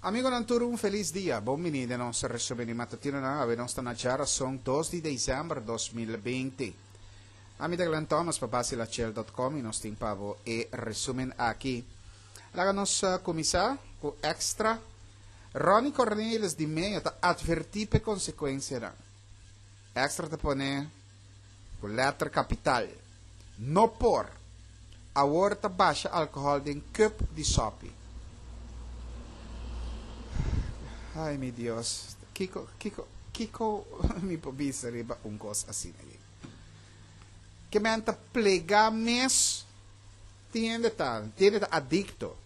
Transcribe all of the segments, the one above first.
Amigonan tur un felis dia. Bon bini den nos resumen di matutinonan. Awe nos ta na djarason dos di december 2020. Ami ta Glenn Thomas pa basilachel.com y nos tin pa bo e resumen aki. Laga nos cuminsa cu extra. Ronnie Cornelis di Meo ta adverti p'e consecuencianan. Extra ta pone cu letter capital. No por! Awor ta basha alcohol den cup di sopi. Ay mi Dios, kico, kico, kico mi por bisa riba un cos asina aki? Ke men ta plega mes tin hende ta, tin hende ta adicto.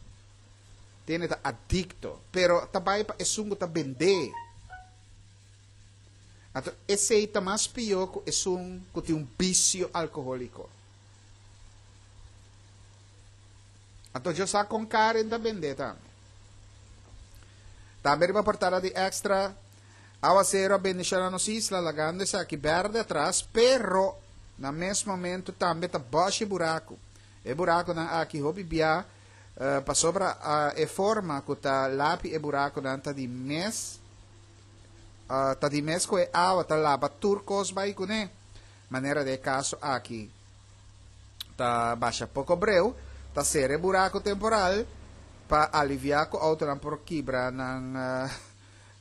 Tin hende ta adicto, pero ta bay pa esun cu ta bende. Anto esei ta mas pió ku esun ku tin un bisio alkohóliko. Anto yo sa kon Karen ta bendé tambe. Tambe riba portada di Extra, Awasero a bendishoná nos isla lagando esaki bèrdè atras, pero na mes momento tambe ta bòshi buraku. E burakunan aki hopi bia pasobra e forma ku ta lapi e burakunan ta di mes Ta di mes ku e awa ta laba tur kos bai kuné. Manera den e kaso aki ta basha poko breu, ta sera e buraku temporal pa aliviá ku outonan por kibra nan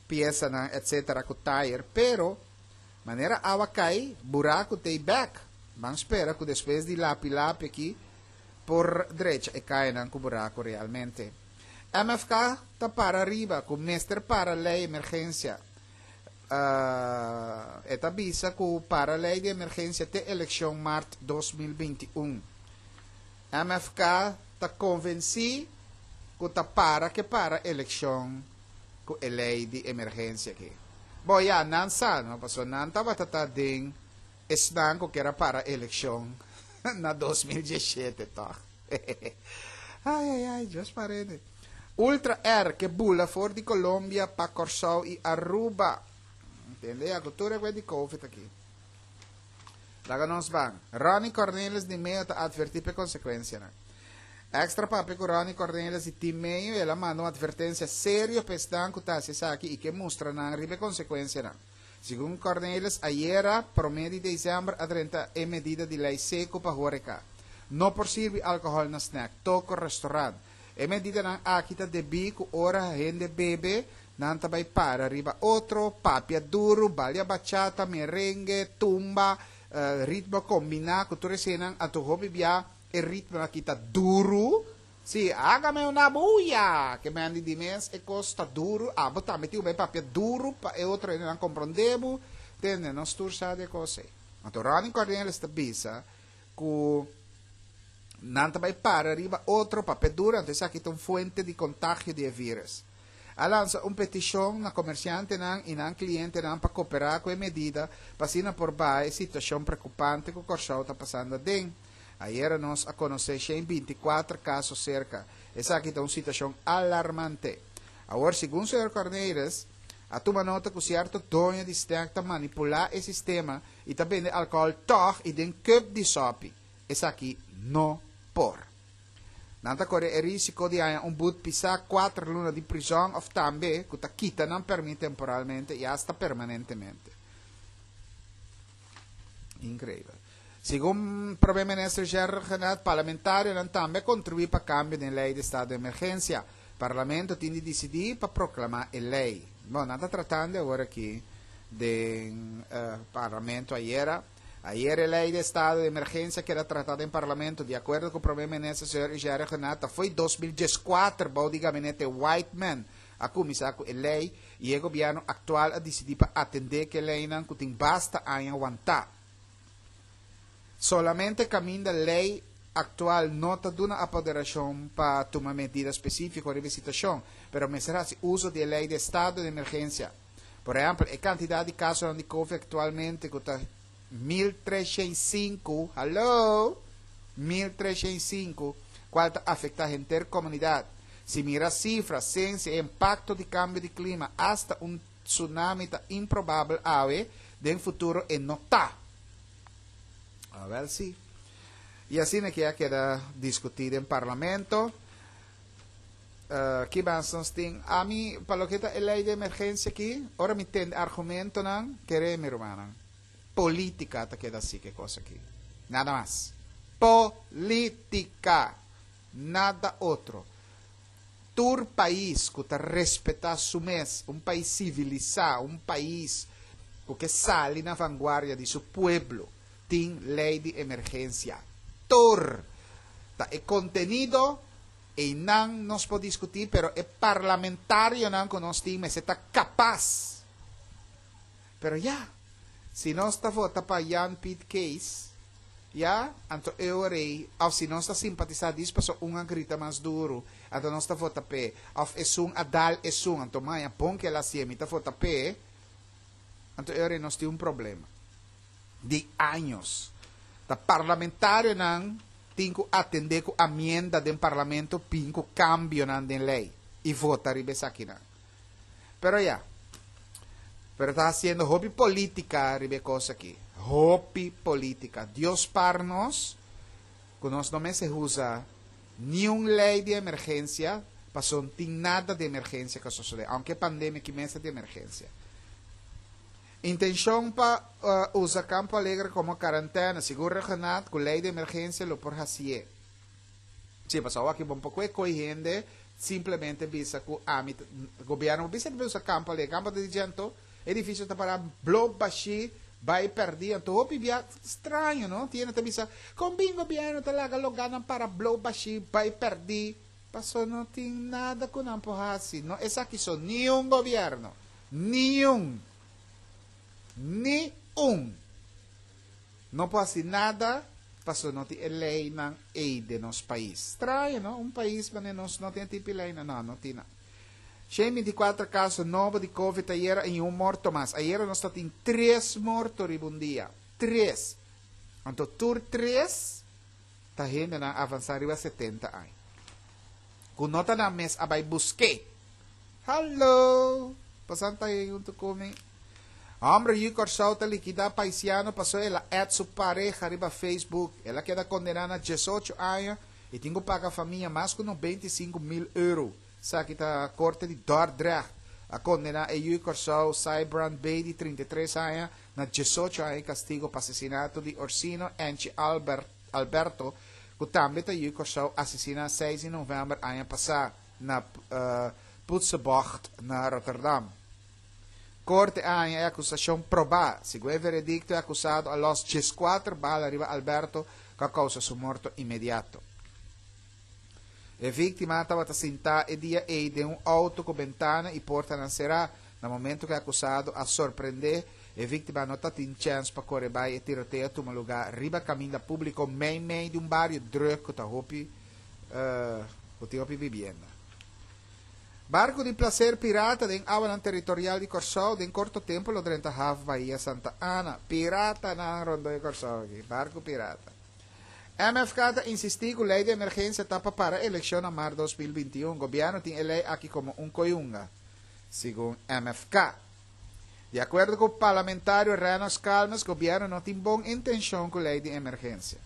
piesanan etsetera ku tayer. Pero manera awa kai, buraku t'ei bèk. Ban spera ku despues di lapi lapi aki por drecha e kayanan ku buraku realmente. MFK ta para riba ku mester para lei emergensia. E ta bisa ku para lei di emergensia te elekshon mart 2021. MFK ta konvensí ku ta para ke para elekshon ku e lei di emergensia aki. Bo ya, nan sa no, pasobra nan tabata ta den esnan ku kier a para elekshon na 2017 tòg. Ai ai ai, Dios parene. Ultra Air ke bula for di Colombia pa Kòrsou i Aruba. Tende ya ku tur e di Covid aki. Laga nos ban. Ronnie Cornelis di Meo ta advertí p'e konsekuensianan. Extra papia ku Ronnie Cornelis di Team Meo i el a manda un advertensia serio pa esnan ku ta hasi esaki i ke mustra nan riba e konsekuensianan. Segun Cornelis, ayera, promé di desèmber a drenta e medida di lei seku pa hóreka. No por sirbi alkohòl na snèk, toko, restorant. E medidanan aki ta debí ku ora hende bebe, nan ta bai para riba otro, papia duru, balia bachata, merengue, tumba, ritmo kombiná ku tur eseinan, anto hopi bia e ritmonan aki ta duru. Sí, hágame una bulla! Ke men di di mes e kos ta duru, abo tambe tin ku bai papia duru pa e otro hendenan komprondé bo. Tende, nos tur sa di e kos ei. Anto Ronnie Cornelis ta bisa ku nan ta bai para riba otro papia duru, anto esaki ta un fuente di kontagio di e vírus. A lansa un petishon na komersiantenan i nan klientenan pa koperá ku e medida pa asina por baha e situashon preokupante ku Kòrsou ta pasando aden. Ayera nos a konosé 124 kaso serka. Esaki ta un situashon alarmante. Awor, segun señor Cornelis, a tuma nota ku sierto doño di snèk ta manipulá e sistema i ta bende alkohòl tòg i den kùp di sòpi. Esaki no por. Nan ta kore e risiko di haña un but pisá, kuater luna di prizòn òf tambe ku ta kita nan pèrmit temporalmente i asta permanentemente. Increíbel. Segun Prome Minister Gerard Rhuggenaath, parlamentarionan tambe a contribui pa cambio den ley di estado di emergencia. Parlamento tin di dicidi pa proclama e ley. Bon, nan ta tratando awor aki den Parlamento ayera. Ayer e ley di estado di emergencia keda trata den Parlamento. Di acuerdo cu Prome Minister señor Gerard Rhuggenaath, ta fo'i 2014 bou di gabinete Whiteman a cuminsa cu e ley y e gobierno actual a dicidi pa atende cu e leynan cu tin basta aña wanta. Solamente caminda ley actual no ta duna apoderacion pa tuma medida specifico riba e situacion, pero mester haci uso di e ley di estado di emergencia. Por ehempel, e cantidad di casonan di covid actualmente cu ta 1305, hallo! 1305, cual ta afecta henter comunidad. Si mira cifra, ciencia e impacto di cambio di clima, hasta un tsunami ta improbabel awe, den futuro e no ta. Awel si. Y asina ke a keda discuti den Parlamento. Ki mas nos tin? Ami, pa loke ta e lei di emergensia aki, ora mi tende argumentonan, kere mi rumannan, politica ta keda si ke kos aki. Nada mas. Politica! Nada otro. Tur pais ku ta respetá su mes, un pais sivilisá, un pais ku ke sali na vanguardia di su pueblo, tin lei di emergensia. Tur! Ta e kontenido Einan nos por diskutí, pero e parlamentarionan ku nos tin mester ta kapas. Pero ya, si nos ta vota pa Jan Piet Kees, ya, anto e ora ei, òf si nos ta simpatisá dis paso un a grita mas duru, anto nos ta vota p'e, òf esun a dal esun, anto maña bon ku el a hasié, mi ta vota p'e, anto e ora ei nos tin un problema di años. Ta parlamentarionan tin ku atendé ku amienda den parlamento bin ku kambionan den lei i vota riba esakinan. Pero ya, pero ta hasiendo hopi polítika riba e kos aki. Hopi polítika. Dios spar nos ku nos no mester usa niun lei di emergensia pasobra no tin nada di emergensia ku a sosodé, aunke e pandemia aki mes ta di emergensia. Intenshon pa usa Campo Alegre komo karantèna, segun Rhuggenaath, ku lei di emergensia lo por hasié. Sí, pasobra awor aki bo no por kohe koi hende simplemente bisa ku ami ta, gobièrnu por bisa ku usa Campo Alegre. Campo ta di dje anto edifisio ta pará blo bashí, bai pèrdí. Anto hopi bia straño, no? Tin hende ta bisa, kon bin gobièrnu ta laga logánan para blo bashí, bai pèrdí? Pasobra no tin nada ku nan por hasi. No esaki so, niun gobièrnu. Niun! Ni un! No por hasi nada pasobra no tin e leynan ey den nos pais. Straño, no? Un pais manera nos no tin e tipo di leynan. No, no tin nan. 124 caso nobo di covid ayera y un morto mas. Ayera nos ta tin tres morto riba un dia. Tres! Anto tur tres ta hendenan avansa riba 70 aña. Cu no ta nan mes a bay busk'é. Hallo! Pasan ta ei huntu ku mi. Hombre yu Kòrsou ta likidá paisiano paso el a add su pareha riba Facebook. El a keda kondená na diesocho aña i tin ku paga famia mas ku 95.000 euro. Esaki ta korte di Dordrecht a kondená e yu Kòrsou Sybrand B. di 33 aña na diesocho aña di kastigo pa asesinato di Orsino Enchi Albert Alberto ku tambe ta yu Kòrsou asesiná seis di novèmber aña pasá. na Putsebocht na Rotterdam. Korte a haña e akusashon probá. Segun e veredikto e akusado a lòs dieskuater bala riba Alberto ku a kousa su morto inmediato. E víktima tabata sintá e dia ei den un outo ku bentana i portanan será. Na momento ku e akusado a sorprendé, e víktima no tatin chèns pa kore bai. E tiroteo a tuma lugá riba kaminda públiko meimei di un bario drùk ku ta hopi Ku tin hopi bibienda. Barku di plaser pirata den awanan teritorial di Kòrsou den korto tempu lo drenta haf Bahia Santa Ana. Piratanan rondó e Kòrsou aki. Barku pirata. MFK ta insistí ku lei di emergensia ta pa para elekshon na mart 2021. Gobièrnu tin e lei aki komo un koyunga, segun MFK. Di akuerdo ku parlamentario Rennox Calmes, gobièrnu no tin bon intenshon ku lei di emergensia.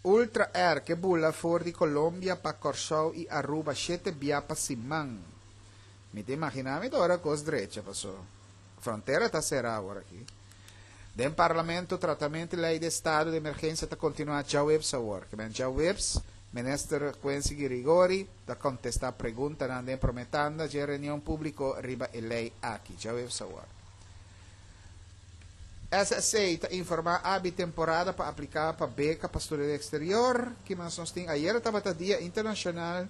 Ultra Air ke bula for di Colombia pa Kòrsou i Aruba shete bia pa siman. Mi ta imaginá mi ta ora kos drecha paso frontera ta será awor aki. Den Parlamento tratamentu di lei di estado di emergensia ta kontinuá djaweps awor. Ke men djaweps Minister Quincy Girigori ta kontestá preguntanan den promé tanda dje reunion públiko riba e lei aki djaweps awor. SSC ta informá abi temporada pa apliká pa beka pa studia den eksterior. Ki mas nos tin? Ayera tabata Dia Internashonal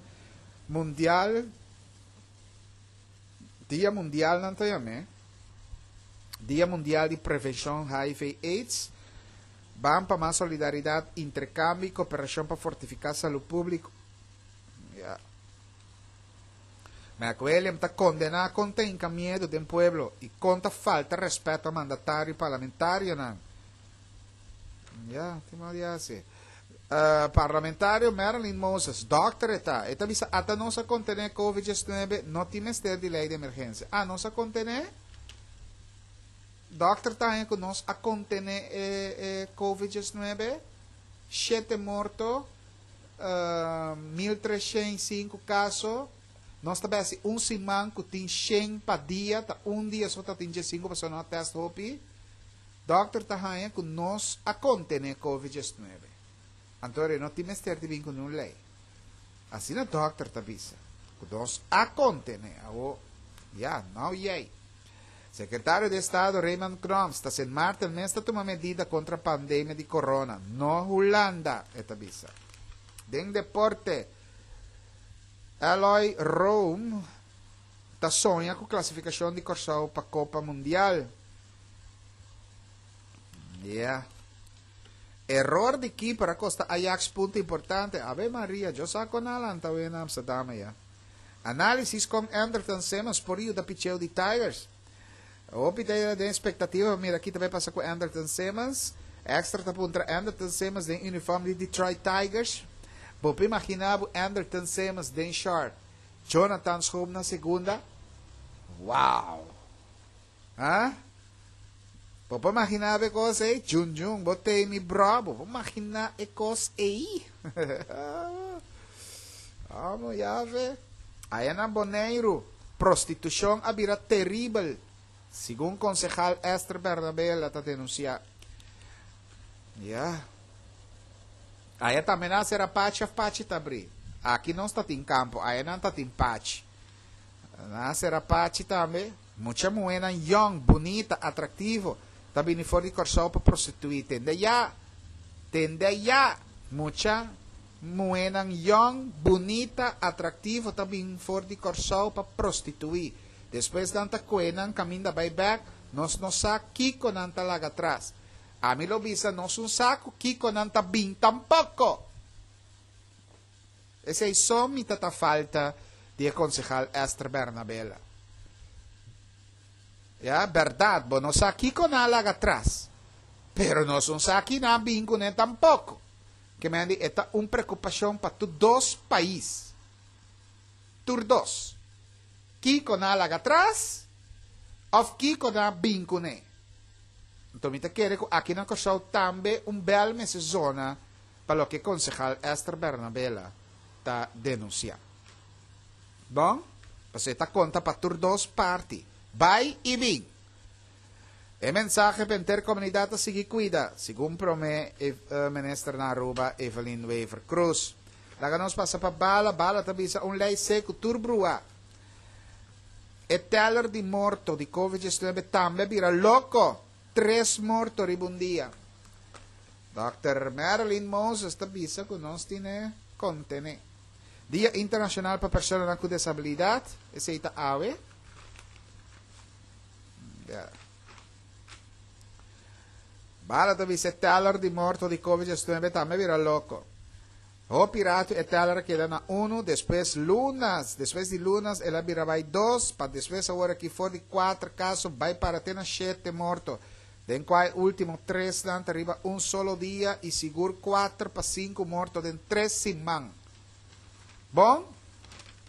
Mundial, Dia Mundial nan ta yam'é, Dia Mundial di Prevenshon HIV Aids. Ban pa mas solidaridat, interkambio i koperashon pa fortifiká salú públiko. Ya. Mac William ta kondená kon ta hinka miedu den pueblo i kon ta falta rèspèt pa mandatario i parlamentarionan. Ya, tin mal di hasi. Parlamentario Marilyn Moses, dòkter e ta, e ta bisa ata nos a kontené Covid 19, no tin mester di lei di emergensia. Ah, nos a kontené? Dòkter ta haña ku nos a kontené e e Covid 19, shete morto, 1305 kaso. Nos ta bai hasi un siman ku tin shen pa dia, ta un dia so ta tin diesinku pasobra no a tèst hopi. Dòkter ta haña ku nos a kontené Covid 19. Anto e no tin mester di bin ku niun lei. Asina dòkter ta bisa ku nos a kontené. Awo, ya, nau yei. Sekretario di Estado Raymond Knops ta Sint Maarten mes ta tuma medida kontra pandemia di corona, no Hulanda, e ta bisa. Den deporte, Eloy Room ta soña ku klasifikashon di Kòrsou pa Kopa Mundial. Ya. Error di keeper a kosta Ajax punto importante. Ave Maria, yo sa kon a lanta awe na Amsterdam ya. Análisis kon Andrelton Simmons por yuda picheo di Tigers. Hopi ta den expectativa pa mira ki ta bay pasa ku Andrelton Simmons. Extra ta puntra Andrelton Simmons den uniform di Detroit Tigers. Bo por imagina bo Andrelton Simmons den short, Jonathan Schoop na segunda? Wow! Ha? Bo por imaginá bo e kos ei? Jun Jun, bo t'ei mi bro, bo por imaginá e kos ei? Amo yave. Aya na Boneiru, prostitushon a bira teribel, segun konsehal Esther Bernabela ta denunsiá. Ya. Aya tambe nan a sera pachi òf pachi ta abrí? Aki nos ta tin kampo, aya nan ta tin pachi. Nan a sera pachi tambe. Mucha muhénan yòn, bunita, atraktivo, ta bini for di Kòrsou pa prostituí. Tende ya! Tende ya! Mucha muhénan yòn, bunita, atraktivo ta bin for di Kòrsou pa prostituí. Despues nan ta kue nan kaminda bai bèk, nos no sa kiko nan ta laga atras. Ami lo bisa nos un sa ku kiko nan ta bin tampoko! Esei so mi ta ta falta di e konsehal Esther Bernabela. Ya, bèrdat, bo no sa kiko nan a laga atras, pero nos no sa ki nan a bin kuné tampoko. Ke men di e ta un preokupashon pa tur dos pais. Tur dos. Kiko nan a laga atras òf kiko nan a bin kuné. Anto mi ta kere ku aki na Kòrsou tambe un bèl mester zona pa loke konsehal Esther Bernabela ta denunsiá. Bon, pasobra e ta konta pa tur dos parti, bai i bin. E mensahe pa henter komunidat ta sigui kuida, segun promé minister na Aruba Evelyn Wever-Croes. Laga nos pasa pa Bala, Bala ta bisa un lei seku tur bruá. E teller di morto di Covid 19 tambe a bira loko! Tres morto riba un dia. Dòkter Marilyn Moses ta bisa ku nos tin e kontené. Dia Internashonal pa Personanan ku Desabilidat, esei ta awe. Ya. Bala ta bisa e teller di morto di Covid 19 tambe bira loko. Hopi ratu e teller a keda na unu, despues lunas, despues di lunas el a bira bai dos, pa despues awor aki for di kuater kaso bai para te na shete morto, den kua e ultimo tresnan ta riba un solo dia i sigur kuater pa sinku morto den tres siman. Bon?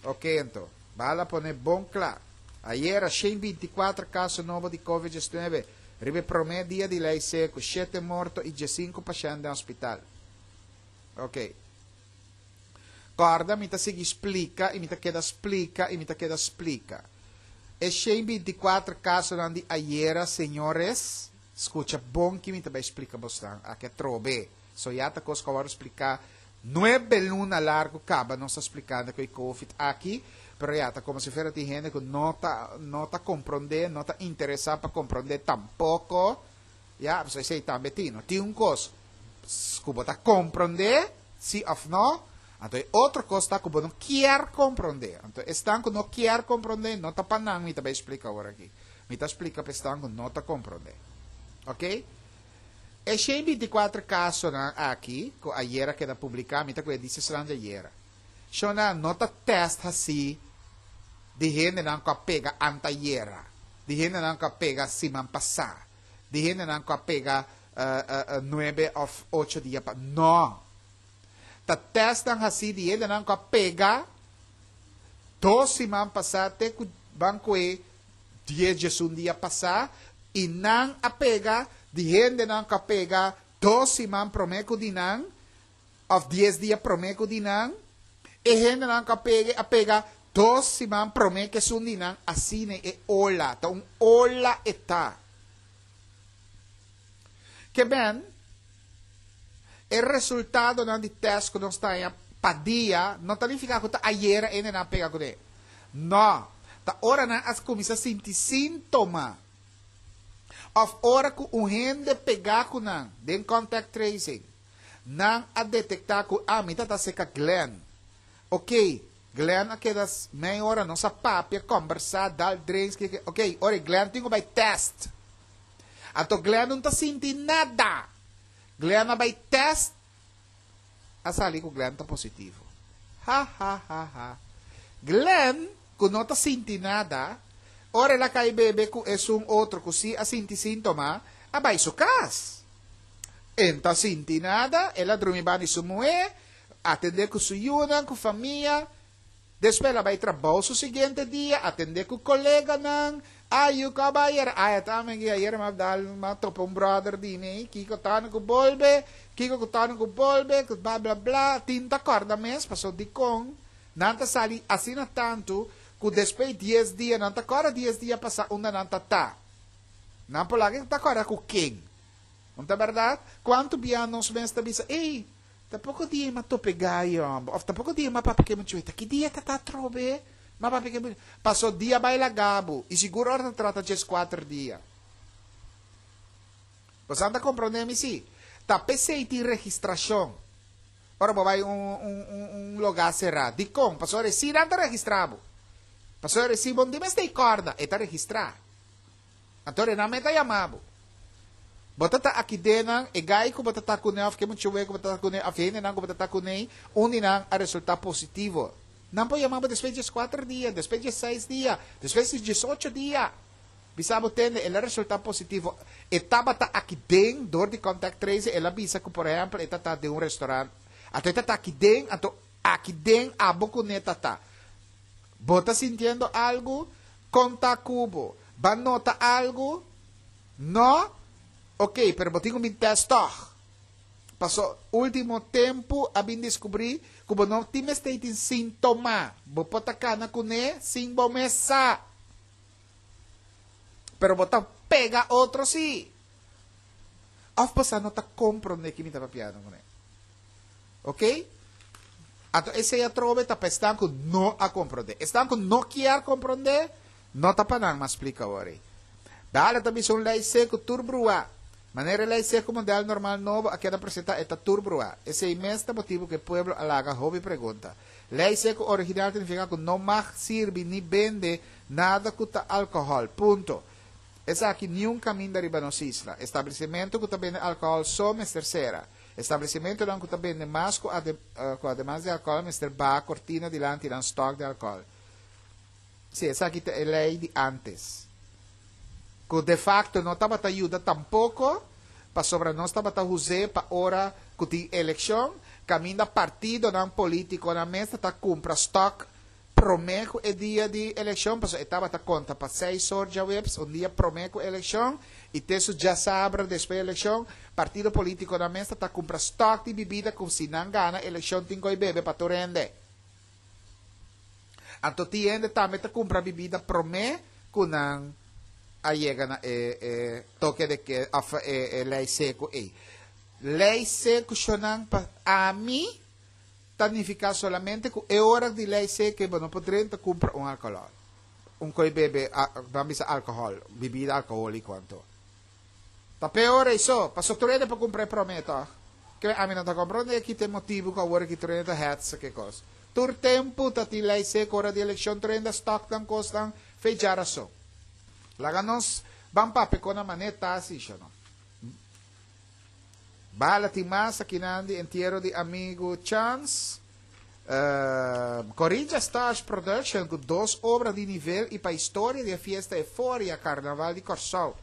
Oke anto, bala pone bon kla. Ayera 124 kaso nobo di Covid 19 riba e promé dia di lei seku, shete morto i diesinku pashènt den hospital. Ok. Kòrda mi ta sigui splika i mi ta keda splika i mi ta keda splika. E 124 kasonan di ayera, señores, skucha bon ki mi ta bai splika bosnan aki atrobe. So ya ta kos ku a wòrdu spliká nuebe luna largu kaba nos ta splikando ku e covid aki, pero ya ta komo si fuera tin hende ku no ta no ta komprondé, no ta interesá pa komprondé tampoko. Ya, pasobra esei tambe tin. No tin un kos ku bo ta komprondé, si òf no, anto e otro kos ta ku bo no kier komprondé. Anto esnan ku no kier komprondé, no ta pa nan mi ta bai splika awor aki. Mi ta splika pa esnan ku no ta komprondé. Oke? E 124 kasonan aki ku ayera keda publiká, mi ta ku e di esnan di ayera. Shona no ta tèst hasí di hendenan ku a pega antayera, di hendenan ku a pega siman pasá, di hendenan ku a pega nuebe òf ocho dia pa. No! Ta tèstnan hasí di hendenan ku a pega dos siman pasá te ku ban kue dies diesun dia pasá. I nan a pega di hendenan ku a pega dos siman promé ku di nan, òf dies dia promé ku di nan. E hendenan ku a pega a pega dos siman promé ku esun di nan. Asina e ola ta un ola e ta. Ke men, e resultadonan di tèst ku nos ta haña pa dia no ta nifiká ku ta ayera e hendenan a pega kuné. No, ta ora nan a kuminsá sinti síntoma òf ora ku un hende pegá ku nan den contact tracing, nan a detektá ku, ah, mi ta ta serka Glenn. Oké, Glenn a keda mei ora, nos a papia, kòmbersá, dal drinks, kiko. Oké, ora Glenn tin ku bai tèst. Anto Glenn no ta sinti nada. Glenn a bai tèst, a sali ku Glenn ta positivo. Ha ha ha ha. Glenn, ku no ta sinti nada, ora el a kai bebe ku esun otro ku si a sinti síntoma, a bai su kas. E no ta sinti nada, el a drumi banda di su muhé, atendé ku su yunan, ku famia. Despues el a bai trabou su siguiente dia, atendé ku koleganan. Ay, yu kaba ayer? Ay, ata mi aki ayer mi a dal, mi a topa un brother di mi, kiko tano ku bolbe, kiko ku tano ku bolbe, ku bla bla bla. Tin ta kòrda mes, paso dikon nan ta sali asina tantu ku despues dies dia nan ta kòrda dies dia pasá unda nan ta ta. Nan por laga ta kòrda ku ken. No ta bèrdat? Kuantu bia nos mes ta bisa, ey, Ta poko dia m'a tope gayo homber, of ta poko dia m'a papia ke muchuy, ta ki dia ta ta atrobe m'a papia ke muchuy. Paso dia bai laga bo, y sigur ora ta trata djes kuater dia. Boso ta comprende mi si? Ta pesey tin registracion ora bo bai un un un loga sera. Dikon? Pasobra e si nan ta registra bo. Pasobra e si bo no tin mester corda, e ta registra. Anto Renan meta yama bo. Bo ta ta aki den nan, e gai ku bo ta ta kuné òf ke muchawe ku bo ta ta kuné òf hendenan ku bo ta ta kuné, un di nan a resultá positivo. Nan por yama bo despues di dieskuater dia, despues di diesseis dia, despues di diesocho dia. Bisa bo tende, el a resultá positivo. E tabata aki den dor di contact tracing, el a bisa ku por ehèmpel e ta ta den un restorant. Anto e ta ta aki den, anto aki den abo kuné ta ta. Bo ta sintiendo algu? Kon ta ku bo? Ba nota algu? No? Ok, pero bo tin ku bin tèst tòg. Paso último tempu a bin deskubrí ku bo no tin mester tin síntoma. Bo por ta kana kuné sin bo mes sa. Pero bo ta pega otro sí. Òf bo sa no ta komprondé ki mi ta papiando kuné. Ok? Anto esei atrobe ta pa esnan ku no a komprondé. Esnan ku no kier komprondé, no ta pa nan mas splika awor ei. Dale ta bisa un lei seku tur bruá. Manera e lei seku modèl normal nobo a keda presentá e ta tur bruá. Esei mes ta motibu ku e pueblo a laga hopi pregunta. Lei seku original ta nifiká ku no mag sirbi ni bende nada ku ta alkohòl. Punto. Esaki niun kaminda riba nos isla. Establesimentu ku ta bende alkohòl so mester sera. Establesimentonan ku ta bende mas ku ku ademas di alkohòl mester baha kortina dilanti nan stòk di alkohòl. Sí, esaki ta e lei di ántes, ku defakto no tabata yuda tampoko, pasobra nos tabata us'é pa ora ku tin elekshon, kaminda partidonan polítikonan mes ta ta kumpra stòk Promé ku e dia di elekshon, pasobra e tabata konta pa seis or djaweps, un dia promé ku elekshon, i te su djasabra despues di elekshon, partido polítikonan mes ta ta kumpra stòk di bibida ku si nan gana elekshon tin koi bebe pa tur hende. Anto tin hende tambe ta kumpra bibida promé ku nan a yega na e e toke de ke òf e e lei seku ei. Lei seku shonnan pa ami. Ta nifiká solamente ku e ora di lei seke bo no por drenta kumpra un alkohòl, un koi bebe, ban bisa alkohòl, bibida alkohóliko anto. Ta peor ei so, paso tur hende por kumpra e promé tòg. Ke ami no ta komprondé ki ta e motibu ku awor aki tur hende ta hètsa ke kos. Tur tempu ta tin lei seko ora di elekshon tur hende a stòk nan kosnan fe djarason. Laga nos ban papia kon nan manera ta así, sho no. Bala tin mas akinan di entiero di amigu Chance. Corinthians Stars Production ku dos obra di nivel i pa historia di e fiesta Eforia Karnaval di Kòrsou.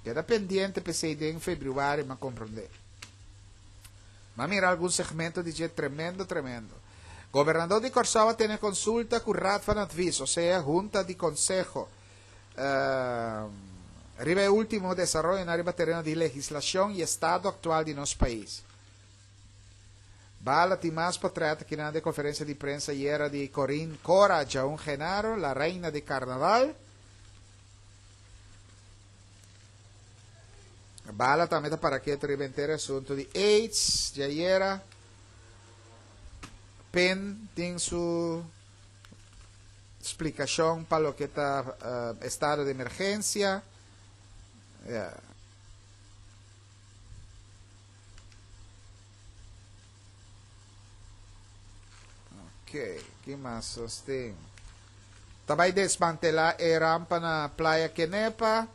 Keda pendiente p'esei den febrüari m'a komprondé. M'a mira algun segmento di dje tremendo tremendo. Gobernador di Kòrsou a tene konsulta ku Raad van Advies, osea Hunta di Konseho. Riba e último desaroyonan riba tereno di legislashon i estado aktual di nos pais. Bala tin mas potrèt akinan di e konferensia di prensa ayera di Corinne Cora Djaun Genaro, la reina di karnaval. Bala tambe ta para ketu riba henter e asuntu di AIDS di ayera. Pen tin su splikashon pa loke ta estado di emergensia. Ya. Ok, ki mas nos tin? Ta bai desmantelá e rampa na Playa Kenepa.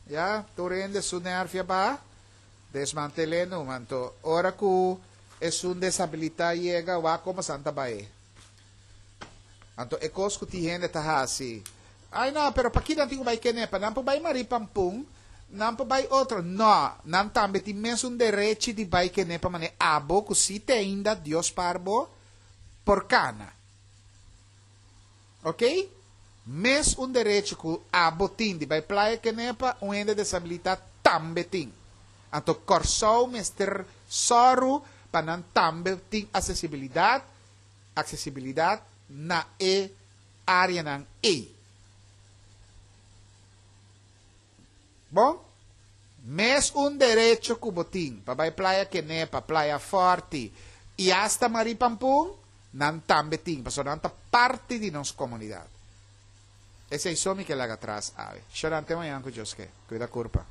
Ya, tur hende su nervia ba. Desmantel'é numa. Anto, ora ku esun desabilitá yega, wak komo san ta bai. Anto e kos ku tin hende ta hasi, Ai no, pero paki nan tin ku bai Kenepa? Nan por bai Marie Pampun, nan por bai otro. No, nan tambe tin mesun derechi di bai Kenepa manera abo ku si te ainda Dios par bo por kana. Oké? Mes un derechi ku abo tin di bai Playa Kenepa, un hende desabilitá tambe tin. Anto Kòrsou mester sòru pa nan tambe tin asesibilidat aksesibilidat na e áreanan ei. Bon, mes un derecho ku bo tin pa bai Playa Kenepa, Playa Fòrti i asta Marie Pampun, nan tambe tin, pasobra nan ta parti di nos komunidat. Esei so mi ke laga tras awe. Shorante mañan ku Dios ke. Kuida kurpa.